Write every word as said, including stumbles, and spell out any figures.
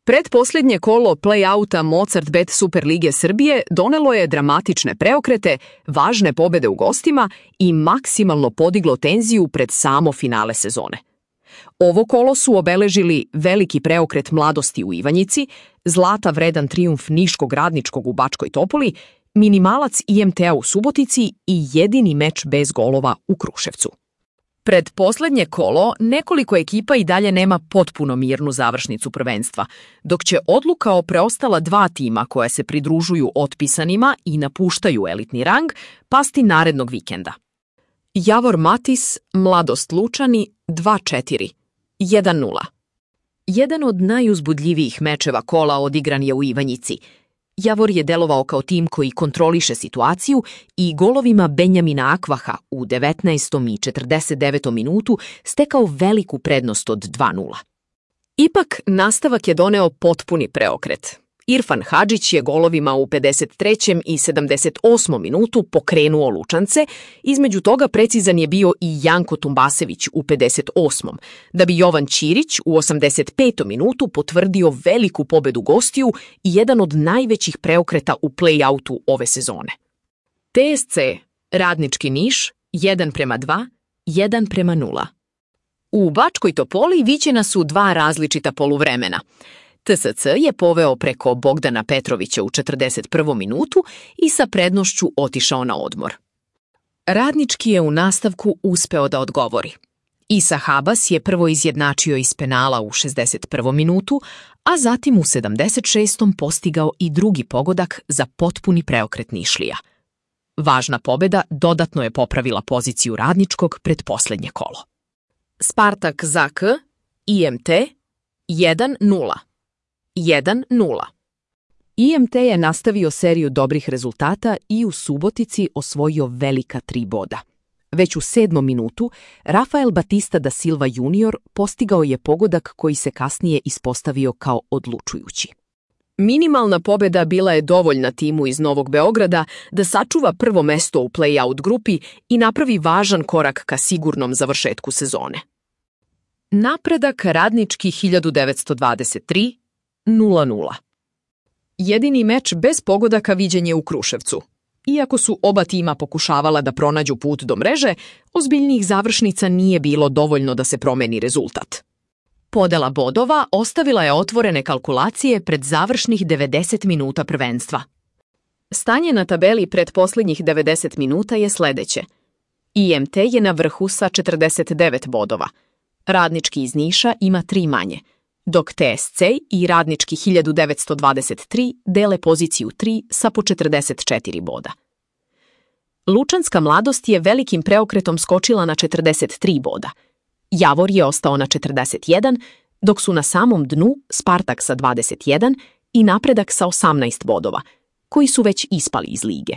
Predposlednje kolo play-outa Mozart Bet Super lige Srbije donelo je dramatične preokrete, važne pobede u gostima i maksimalno podiglo tenziju pred samo finale sezone. Ovo kolo su obeležili veliki preokret Mladosti u Ivanjici, zlata vredan trijumf Niškog Radničkog u Bačkoj Topoli, minimalac I M T-a u Subotici i jedini meč bez golova u Kruševcu. Pred poslednje kolo nekoliko ekipa i dalje nema potpuno mirnu završnicu prvenstva, dok će odluka o preostala dva tima koja se pridružuju otpisanima i napuštaju elitni rang pasti narednog vikenda. Javor Matis, Mladost Lučani dva četiri, jedan nula. Jedan od najuzbudljivijih mečeva kola odigran je u Ivanjici. Javor je delovao kao tim koji kontroliše situaciju i golovima Benjamina Akvaha u devetnaestom i četrdeset devetom minutu stekao veliku prednost od dva nula. Ipak, nastavak je doneo potpuni preokret. Irfan Hadžić je golovima u pedeset trećem i sedamdeset osmom minutu pokrenuo Lučance, između toga precizan je bio i Janko Tumbasević u pedeset osmom, da bi Jovan Ćirić u osamdeset petom minutu potvrdio veliku pobedu gostiju i jedan od najvećih preokreta u play-outu ove sezone. T S C, Radnički Niš, jedan prema dva, jedan prema nula. U Bačkoj Topoli viđena su dva različita poluvremena. T S C je poveo preko Bogdana Petrovića u četrdeset prvom minutu i sa prednošću otišao na odmor. Radnički je u nastavku uspeo da odgovori. Isa Habas je prvo izjednačio iz penala u šezdeset prvom minutu, a zatim u sedamdeset šestom postigao i drugi pogodak za potpuni preokret Nišlija. Važna pobeda dodatno je popravila poziciju Radničkog pred poslednje kolo. Spartak Z K, I M T, jedan nula. jedan nula. I M T je nastavio seriju dobrih rezultata i u Subotici osvojio velika tri boda. Već u sedmom minutu Rafael Batista da Silva junior postigao je pogodak koji se kasnije ispostavio kao odlučujući. Minimalna pobeda bila je dovoljna timu iz Novog Beograda da sačuva prvo mesto u play-out grupi i napravi važan korak ka sigurnom završetku sezone. Napredak Radnički hiljadu devetsto dvadeset tri, nula nula. Jedini meč bez pogodaka viđen je u Kruševcu. Iako su oba tima pokušavala da pronađu put do mreže, ozbiljnijih završnica nije bilo dovoljno da se promeni rezultat. Podela bodova ostavila je otvorene kalkulacije pred završnih devedeset minuta prvenstva. Stanje na tabeli pred posljednjih devedeset minuta je sledeće. I M T je na vrhu sa četrdeset devet bodova. Radnički iz Niša ima tri manje, dok T S C i Radnički hiljadu devetsto dvadeset tri dele poziciju tri sa po četrdeset četiri boda. Lučanska Mladost je velikim preokretom skočila na četrdeset tri boda. Javor je ostao na četrdeset jedan, dok su na samom dnu Spartak sa dvadeset jedan i Napredak sa osamnaest bodova, koji su već ispali iz lige.